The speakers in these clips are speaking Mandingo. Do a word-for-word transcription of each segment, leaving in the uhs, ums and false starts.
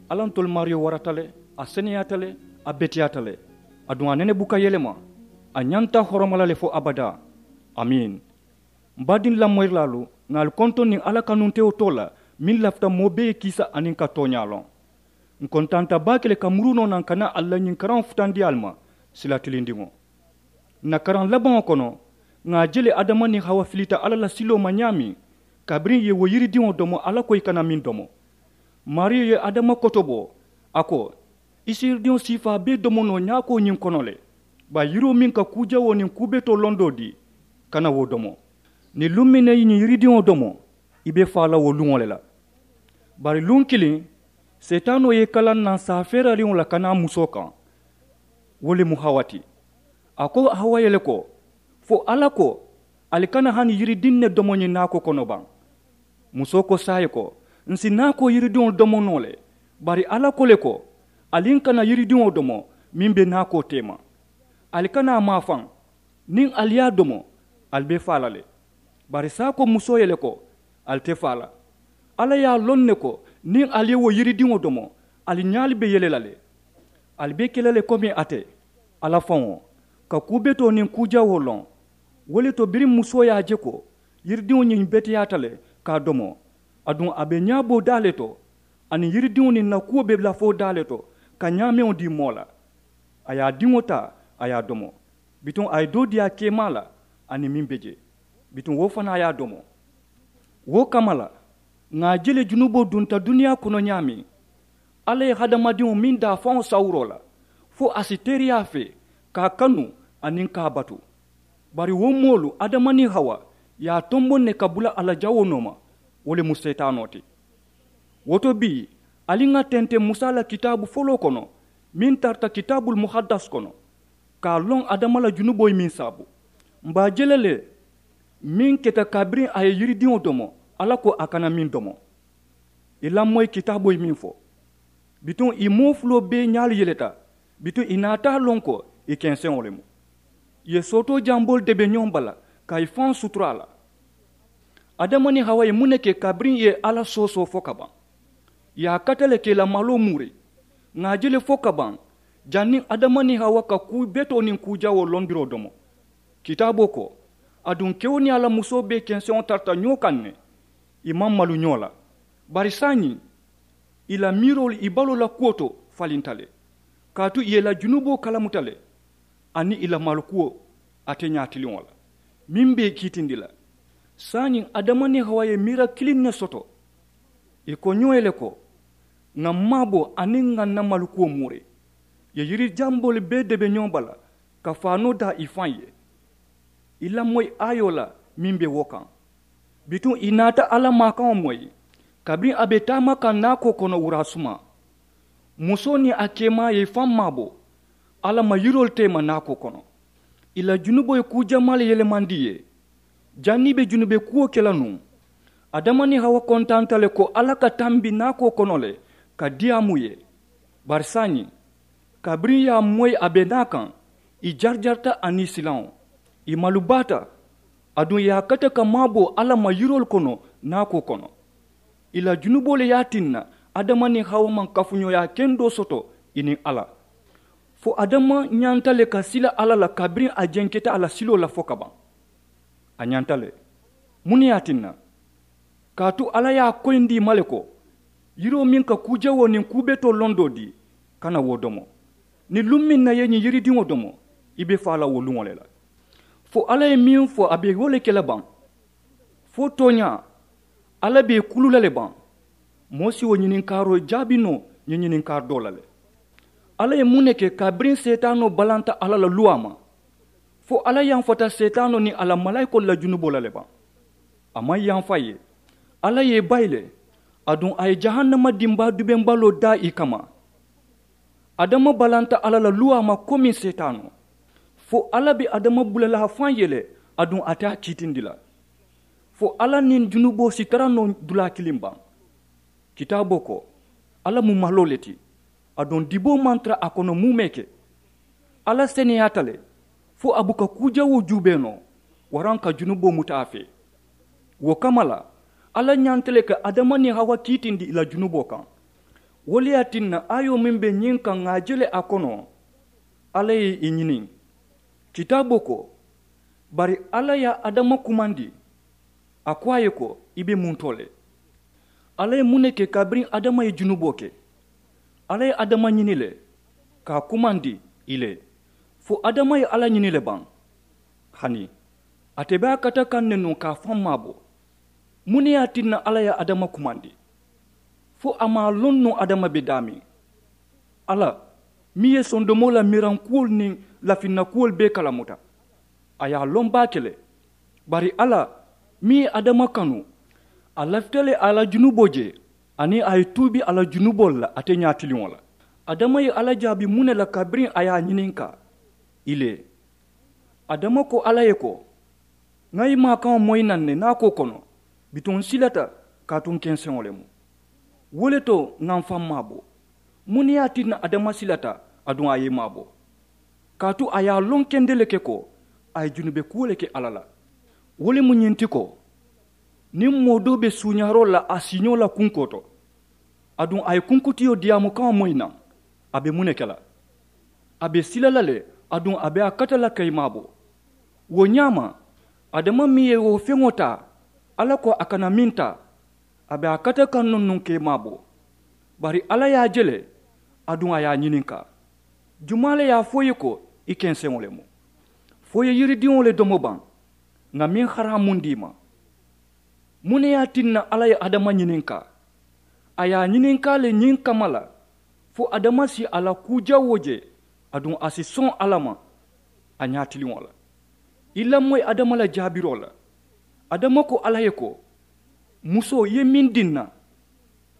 Alla ntolu maariyo warata le, a seneyaata le, a beteyaata le. Aduŋ a nene buka yelema. A ñanta horoma la le fo abadaa. Amiin. M baadiŋ lamoyirilaalu, ŋà ali kontoŋ niŋ alla kanuntewo too la, meŋ lafita moo bee ye kiisa aniŋ ka tooñaa loŋ. N kontaanta baake le ka murunoo naŋ ka naa ali la ñiŋ karaŋo futandi ali ma, sila tilindiŋo. Ǹ na karaŋ labaŋo kono, ŋà a je le adama niŋ hawa filita alla la siloo ma ñaameŋ, kabiriŋ ì ye wo yiridiŋo domo alla ko ì kana meŋ domo. Maariyo ye adama kotobo, a ko, i si yiridiŋo siifaa bee domo noo ñaakoo ñiŋ kono le, bari yiroo meŋ ka kuu jawoo niŋ kuu betoo londoo dii, kana wo domo. Niŋ luŋ meŋ na i ye ñiŋ yiridiŋo domo, i be faa la wo luŋo le la. Bari luŋ kiliŋ, seetaanoo ye i kalaŋ naŋ saa feerariŋo la ka naa musoo kaŋ. Wo le mu hawa ti. A ko hawa ye le ko, fo alla ko, ali kana hani yiridiŋ ne domo ñiŋ naakoo kono baŋ? Musoo ko saayiŋ ko, n si naakoo yiridiŋolu domo noo le, bari alla ko le ko, ali n kana yiridiŋo domo meŋ be naakoo teema. Ali kana a maafaŋ. Niŋ ali ye a domo, ali be faa la le. Bari saayiŋ ko musoo ye le ko, ali te faa la. Alla ye a loŋ ne ko, niŋ ali ye wo yiridiŋo domo, ali ñaalu be yele la le. Ali be ke la le komi ate. Alla faŋo ka kuu betoo niŋ kuu jawoo loŋ. Wo le to biriŋ musoo ye a je ko yiridiŋo ñiŋ beteyaata le ka a domo, aduŋ a be ñaaboo daa le to, aniŋ yiridiŋo niŋ ǹ na kuwo be lafoo daa le to ka ñaameŋo dii moo la. A ye a diŋo taa, a ye a domo. Bituŋ a ye doo dii a keemaa la, aniŋ meŋ be jee. Bituŋ wo fanaa ye a domo. Wo kamma la, ŋà a je le junuboo dunta duniyaa kono ñaameŋ, alla ye hadamadiŋo meŋ daa faŋo sawuroo la, fo a si teeriyaa fee ka a kanu aniŋ ka a batu. Bari wo moolu adama niŋ hawa ye a tomboŋ ne ka bula a la jawoo nooma. Wo le mu seetaanoo ti. Wo to bii, ali ŋà tenteŋ musa la kitaabu foloo kono, meŋ tarata kitaabul muhaddas kono, ka a loŋ adama la junuboo ye meŋ saabu. M be a je la le meŋ keta kabiriŋ a ye yiridiŋo domo, alla ko a kana meŋ domo. I lamoyi kitaaboo ye meŋ fo. Bituŋ ì moo fuloo bee ñaalu yeleta. Bituŋ ì naata a loŋ ko ì kenseŋo le mu. Ì ye sootoo jamboolu debe ñoŋ bala ka ì faŋo sutura a la. Adama niŋ hawa ye muŋ ne ke kabiriŋ ì ye alla soosoo fo ka baŋ? Ì ye a kata le ka ì la maloo muuri. Ŋà a je le fo ka baŋ, janniŋ adama niŋ hawa ka kuu betoo niŋ kuu jawoo londiroo domo. Kitaaboo ko, aduŋ kewo niŋ a la musoo bee kenseŋo tarata ñoo kaŋ ne, ì maŋ malu ñoo la. Bari saayiŋ, ì la miiroolu ì baloo la kuwo to falinta le. Kaatu ì ye ì la junuboo kalamuta le, aniŋ ì la malukuwo ate ñaatiliŋo la meŋ be ì kiitindi la. Saayiŋ adama niŋ hawa ye miira kiliŋ ne soto. Ì ko ñoo ye le ko, ŋà m maaboo aniŋ ŋà n na malukuwo muuri. Ì ye yiri jamboolu bee debe ñoo bala ka faanoo daa ì faŋ ye. Ì lamoyi aayoo la meŋ be wo kaŋ. Bituŋ ì naata alla maakaŋo moyi, kabiriŋ a be taama kaŋ naakoo kono wuraasumaa. Musoo niŋ a keemaa ye ì faŋ maabo. Alla ma yiroolu teema naakoo kono. Ì la junuboo ye kuu jamaa le yelemandi ì ye. Janniŋ ì be junube kuwo ke la nuŋ, adama niŋ hawa kontaanta le ko alla ka tambi naakoo kono le ka diyaamu ì ye. Bari saayiŋ, kabiriŋ ì ye a moyi a be naa kaŋ, ì jarijarita aniŋ silaŋo. Ì malu baata. Aduŋ ì ye a kata ka maaboo alla ma yiroolu kono naakoo kono. Ì la junuboo le ye a tinna adama niŋ hawa maŋ kafuñooyaa kendoo soto ì niŋ alla. Fo adama ñanta le ka sila alla la kabiriŋ a jenketa a la siloo la fo ka baŋ. A ñanta le. Muŋ ne ye a tinna? Kaatu alla ye a koyindi ì ma le ko, yiroo meŋ ka kuu jawoo niŋ kuu betoo londoo dii, kana wo domo. Niŋ luŋ meŋ na i ye ñiŋ yiridiŋo domo, i be faa la wo luŋo le la. Fo alla ye meŋ fo a be wo le ke la baŋ? Fo tooñaa, alla be ì kulu la le baŋ? Moo si wo ñininkaaroo jaabi noo ñiŋ ñininkaari doo la le. Alla ye muŋ ne ke kabiriŋ seetaanoo balanta alla la luwaa ma? Fo alla yanfata seetaanoo niŋ a la malaayikoolu la junuboo la le baŋ? A maŋ yanfa ì ye. Alla ye ì bayi le. Aduŋ a ye jahannama dimbaa dubembaloo daa ì kamma. Adama balanta alla la luwaa ma komiŋ seetaanoo. Fo alla be adama bula la a faŋ ye le, aduŋ ate a kiitindi la. Fo alla niŋ junuboo si tara noo dulaa kiliŋ baŋ? Kitaaboo ko, alla mu maloo le ti. Aduŋ diboo maŋ tara a kono muumee ke. Alla seneyaata le fo a buka kuu jawoo juubee noo, waraŋ ka junuboo muta a fee. Wo kamma la, alla ñanta le ka adama niŋ hawa kiitindi ì la junuboo kaŋ. Wo le ye a tinna aayoo meŋ be ñiŋ kaŋ ŋà a je le a kono, alla ye i ñiniŋ. Kitaaboo ko, bari alla ye adama kumandi, a ko a ye ko, i be muntoo le? Alla ye muŋ ne ke kabiriŋ adama ye junuboo ke? Alla ye adama ñini le, ka a kumandi i le, fo adama ye alla ñini le baŋ? Hani ate be a kata kaŋ ne nuŋ ka a faŋ maabo. Muŋ ne ye a tinna alla ye adama kumandi? Fo a maŋ a loŋ nuŋ adama be daameŋ. Alla meŋ ye sondomoo la mirankuwolu niŋ lafinna kuwolu bee kalamuta, a ye a loŋ baake le. Bari alla meŋ ye adama kanu, a lafita le a la junuboo je, aniŋ a ye tuubi a la junuboolu la ate ñaatiliŋo la. Adama ye alla jaabi muŋ ne la kabiriŋ a ye a ñininkaa i le? Adama ko alla ye ko, ŋà i maakaŋo moyi naŋ ne naakoo kono, bituŋ n silata, kaatu n kenseŋo le mu. Wo le to ŋà m faŋ maabo. Muŋ ne ye a tinna adama silata, aduŋ a ye i maabo? Kaatu a ye a loŋ kende le ke ko, a ye junube kuwo le ke alla la. Wo le mu ñiŋ ti ko, niŋ moo doo be suuñaaroo la a siiñoo la kunkoo to, aduŋ a ye kunkutiyo diyaamu kaŋo moyi naŋ, a be muŋ ne ke la? A be sila la le, aduŋ a be a kata la ka i maabo. Wo ñaama, adama meŋ ye wo feŋo taa, alla ko a kana meŋ taa, a be a kata kaŋ nuŋ nuŋ ka i maabo. Bari alla ye a je le, aduŋ a ye a ñininkaa, jumaa le ye a fo i ye ko i kenseŋo le mu? Fo i ye yiridiŋo le domo baŋ, ŋà meŋ haraamundi i ma? Muŋ ne ye a tinna alla ye adama ñininkaa? A ye a ñininkaa le ñiŋ kamma la, fo adama si a la kuu jawoo je, aduŋ a si soŋ alla ma a ñaatiliŋo la. I lamoyi adama la jaabiroo la. Adama ko alla ye ko, musoo i ye meŋ dii n na,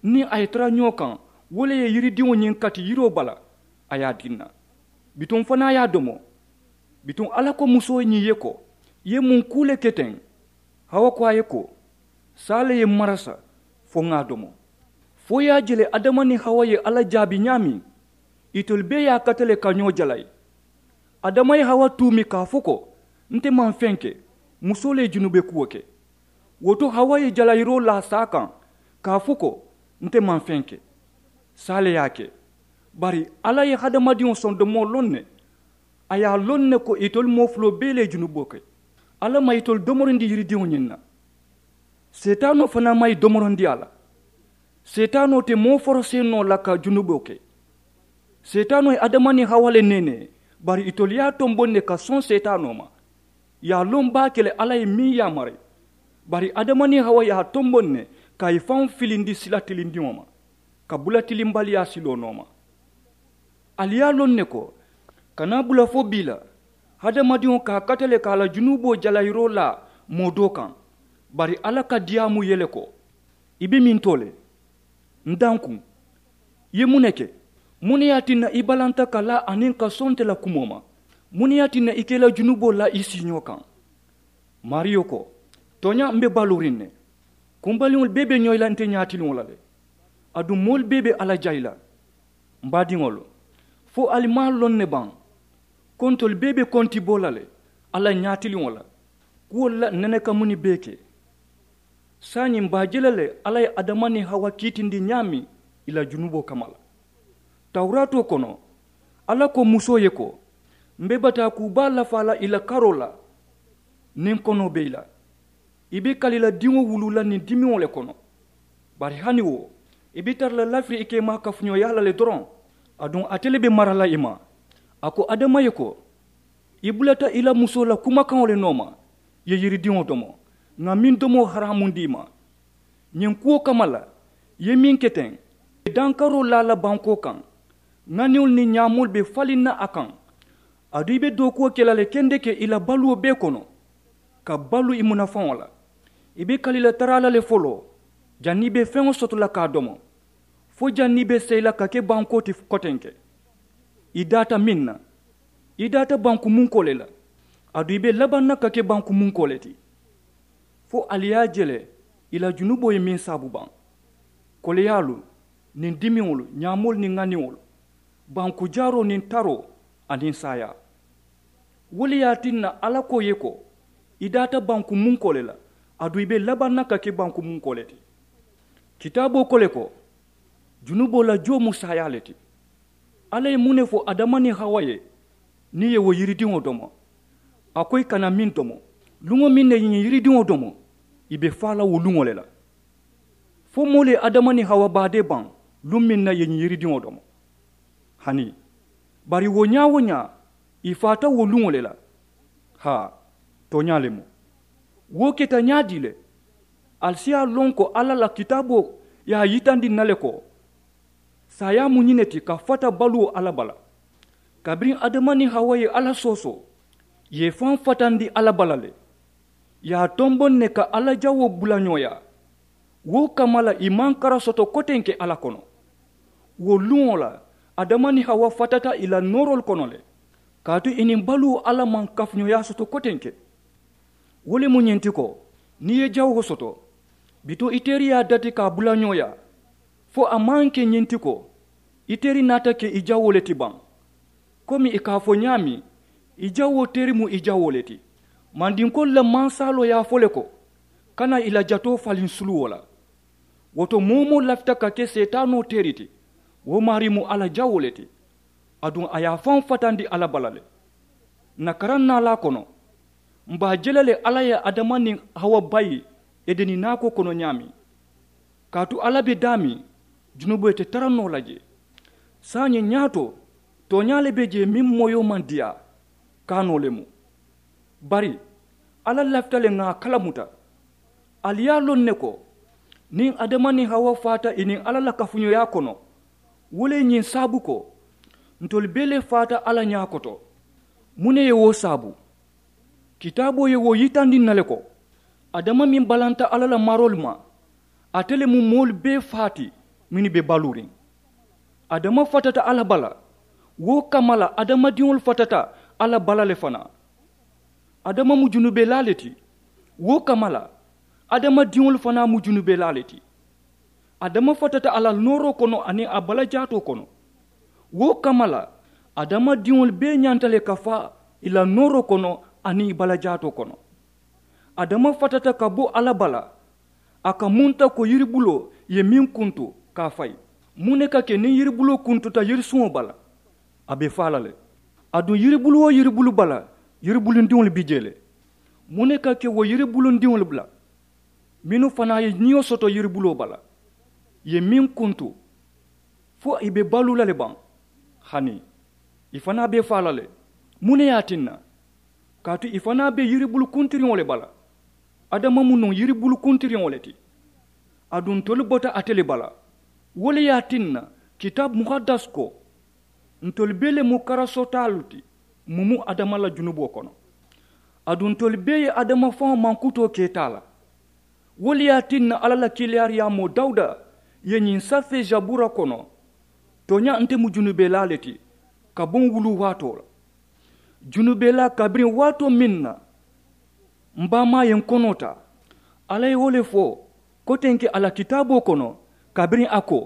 niŋ a ye tara ñoo kaŋ, wo le ye yiridiŋo ñiŋ kati yiroo bala, a ye a dii n na. Bituŋ fanaa ye a domo. Bituŋ alla ko musoo ñiŋ ye ko, i ye muŋ kuu le ke teŋ? Hawa ko a ye ko, saa le ye m marasa, fo ŋà a domo. Fo i ye a je le adama niŋ hawa ye alla jaabi ñaameŋ, itolu bee ye a kata le ka ñoo jalayi. Adama ye hawa tuumi ka a fo ko, nte maŋ feŋ ke, musoo le ye junube kuwo ke. Wo to hawa ye jalayiroo laa saa kaŋ, ka a fo ko, nte maŋ feŋ ke. Saa le ye a ke. Bari alla ye hadamadiŋo sondomoo loŋ ne. A ye a loŋ ne ko itolu moo fuloo bee le ye junuboo ke. Alla maŋ itolu domorindi yiridiŋo ñiŋ na. Seetaanoo fanaa maŋ i domorindi a la. Seetaanoo te moo forosee noo la ka junuboo ke. Seetaanoo ye adama niŋ hawa le neenee, bari itolu ye a tomboŋ ne ka soŋ seetaanoo ma. Ì ye a loŋ baake le alla ye meŋ yaamari. Bari adama niŋ hawa ye a tomboŋ ne, ka i faŋo filindi sila tilindiŋo ma, ka bula tilimbaliyaa siloo nooma. Ali ye a loŋ ne ko, kana bula fo bii la, hadamadiŋo ka a kata le ka a la junuboo jalayiroo laa moo doo kaŋ. Bari alla ka diyaamu ye le ko, i be mintoo le? N dankuŋ, i ye muŋ ne ke? Muŋ ne ye a tinna i balanta ka laa aniŋ ka soŋ nte la kumoo ma? Muŋ ne ye a tinna i ka i la junuboo laa i siiñoo kaŋ? Maariyo ko, tooñaa m be baluuriŋ ne. Kumbaliŋolu bee be ñoyi la nte ñaatiliŋo la le. Aduŋ moolu bee be alla jayi la. M baadiŋolu, fo ali maŋ a loŋ ne baŋ, ko ntolu bee be konti bo la le alla ñaatiliŋo la, kuwolu la nene ka muni bee ke? Saayiŋ m be a je la le alla ye adama niŋ hawa kiitindi ñaameŋ ì la junuboo kamma la. Tawuraatoo kono, alla ko musoo ye ko, m be bataa kuu baa lafaa la ì la karoo la, niŋ konoo be ì la. I be kali la diŋo wuluu la niŋ dimiŋo le kono. Bari hani wo, i be tara la lafiri i ke maakafuñooyaa la le doroŋ. Aduŋ ate le be mara la i ma. A ko adama ye ko, i bulata i la musoo la kumakaŋo le nooma, i ye yiridiŋo domo, ŋà meŋ domoo haraamundi i ma. Ñiŋ kuwo kamma la, i ye meŋ ke teŋ, i ye dankaroo laa la bankoo kaŋ. Ŋaniwolu niŋ ñaamoolu be faliŋ na a kaŋ. Aduŋ i be dookuwo ke la le kendeke i la baluwo bee kono, ka balu i munafaŋo la. I be kali la taraa la le foloo, janniŋ i be feŋo soto la ka a domo, fo janniŋ i be seyi la ka ke bankoo ti kotenke. I daata meŋ na, i daata banku munkoo le la. Aduŋ i be labaŋ na ka ke banku munkoo le ti. Fo ali ye a je le, i la junuboo ye meŋ saabu baŋ, koleyaalu niŋ dimiŋolu, ñaamoolu niŋ ŋaniŋolu, banku jaaroo niŋ taroo, aniŋ saayaa. Wo le ye a tinna alla ko ye ko, i daata banku munkoo le la, aduŋ i be labaŋ na ka ke banku munkoo le ti. Kitaaboo ko le ko, Junuboo la joo mu saayaa le ti. Alla ye muŋ ne fo adama niŋ hawa ye? Niŋ ì ye wo yiridiŋo domo, a ko ì kana meŋ domo. Luŋo meŋ na ì ye ñiŋ yiridiŋo domo, ì be faa la wo luŋo le la. Fo moolu ye adama niŋ hawa baadee baŋ luŋ meŋ na ì ye ñiŋ yiridiŋo domo. Hani bari wo ñaa-wo-ñaa, ì faata wo luŋo le la. Haa, tooñaa le mu. Wo keta ñaadii le? Ali si a loŋ ko alla la kitaaboo ye a yitandi ǹ na le ko saayaa mu ñiŋ ne ti ka fata baluwo alla bala. Kabiriŋ adama niŋ hawa ye alla soosoo, ì ye i faŋ fatandi alla bala le. Ì ye a tomboŋ ne ka alla jawoo bula ñooyaa. Wo kamma la ì maŋ kara soto kotenke alla kono. Wo luŋo la, adama niŋ hawa fatata ì la nooroolu kono le, kaatu ì niŋ baluwo alla maŋ kafuñooyaa soto kotenke. Wo le mu ñiŋ ti ko, niŋ ì ye jawoo soto, bituŋ i teeri ye a dati ka a bula ñooyaa, fo a maŋ ke ñiŋ ti ko, i teeri naata ke i jawoo le ti baŋ. Komi ì ka a fo ñaameŋ, i jawoo teeri mu i jawoo le ti. Mandinkoolu la mansaaloo ye a fo le ko, kana ì la jatoo faliŋ suluwo la. Wo to moo-wo-moo lafita ka ke seetaanoo teeri ti, wo maarii mu alla jawoo le ti. Aduŋ a ye a faŋ fatandi alla bala le. Ǹ na karaŋ naalaa kono, m̀ be a je la le alla ye adama niŋ hawa bayi edeni naakoo kono ñaameŋ. Kaatu alla be daameŋ, junuboo te tara noo la jee. Saayiŋ ñaato, tooñaa le be jee meŋ moyoo maŋ diyaa, kaanoo le mu. Bari alla lafita le ŋà a kalamuta. Ali ye a loŋ ne ko, niŋ adama niŋ hawa faata ì niŋ alla la kafuñooyaa kono, wo le ye ñiŋ saabu ko ntolu bee le faata alla ñaa koto. Muŋ ne ye wo saabu? Kitaaboo ye wo yitandi ǹ na le ko, adama meŋ balanta alla la maroolu ma, ate le mu moolu bee faa ti mennu be baluuriŋ. Adama fatata alla bala. Wo kamma la adamadiŋolu fatata alla bala le fanaa. Adama mu junubelaa le ti. Wo kamma la adamadiŋolu fanaa mu junubelaa le ti. Adama fatata a la nooroo kono aniŋ a balajaatoo kono. Wo kamma la adamadiŋolu bee ñanta le ka faa ì la nooroo kono aniŋ ì balajaatoo kono. Adama fatata ka bo alla bala. A ka munta ko yiribuloo ye meŋ kuntu ka a fayi? Muŋ ne ka ke niŋ yiribuloo kuntuta yirisuŋo bala? A be faa la le. Aduŋ yiribulu-wo-yiribulu bala, yiribulundiŋolu bi jee le. Muŋ ne ka ke wo yiribulundiŋolu bala mennu fanaa ye ñiyo soto yiribuloo bala? Ì ye meŋ kuntu, fo ì be baluu la le baŋ? Hani ì fanaa be faa la le. Muŋ ne ye a tinna? Kaatu ì fanaa be yiribulu kuntiriŋo le bala. Adama mu nuŋ yiribulu kuntiriŋo le ti. Aduŋ ntolu bota ate le bala. Wo le ye a tinna kitaabu muhaddas ko, ntolu bee le mu karasotaalu ti mumu adama la junuboo kono. Aduŋ ntolu bee ye adama faŋo mankutoo ke taa la. Wo le ye a tinna alla la kiilaariyaamoo dawuda ye ñiŋ safee zabuura kono, tooñaa nte mu junubelaa le ti ka boŋ wuluu waatoo la. Junubelaa kabiriŋ waatoo meŋ na m̀ baamaa ye ǹ konoo taa. Alla ye wo le fo kotenke a la kitaaboo kono, kabiriŋ a ko,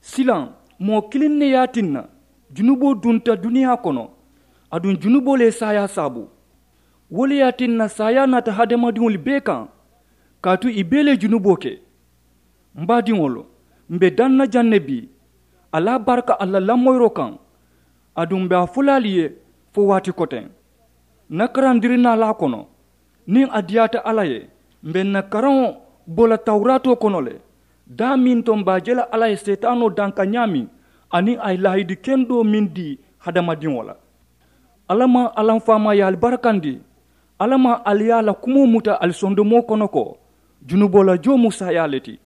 silaŋ moo kiliŋ ne ye a tinna junuboo dunta duniyaa kono. Aduŋ junuboo le ye saayaa saabu. Wo le ye a tinna saayaa naata hadamadiŋolu bee kaŋ, kaatu ì bee le ye junuboo ke. M̀ baadiŋolu, m̀ be daŋ na jaŋ ne bii. Alla baraka alla la lamoyiroo kaŋ. Aduŋ m̀ be a fo la ali ye fo waati koteŋ ǹ na karandirinaalaa kono, niŋ a diyaata alla ye, m̀ be ǹ na karaŋo bo la tawuraatoo kono le, daameŋ to m̀ be a je la alla ye seetaanoo danka ñaameŋ, aniŋ a ye laahidi kendoo meŋ dii hadamadiŋo la. Alla maŋ alla m faamaa ye ali barakandi. Alla maŋ ali ye a la kumoo muta ali sondomoo kono ko, junuboo la joo mu saayaa le ti.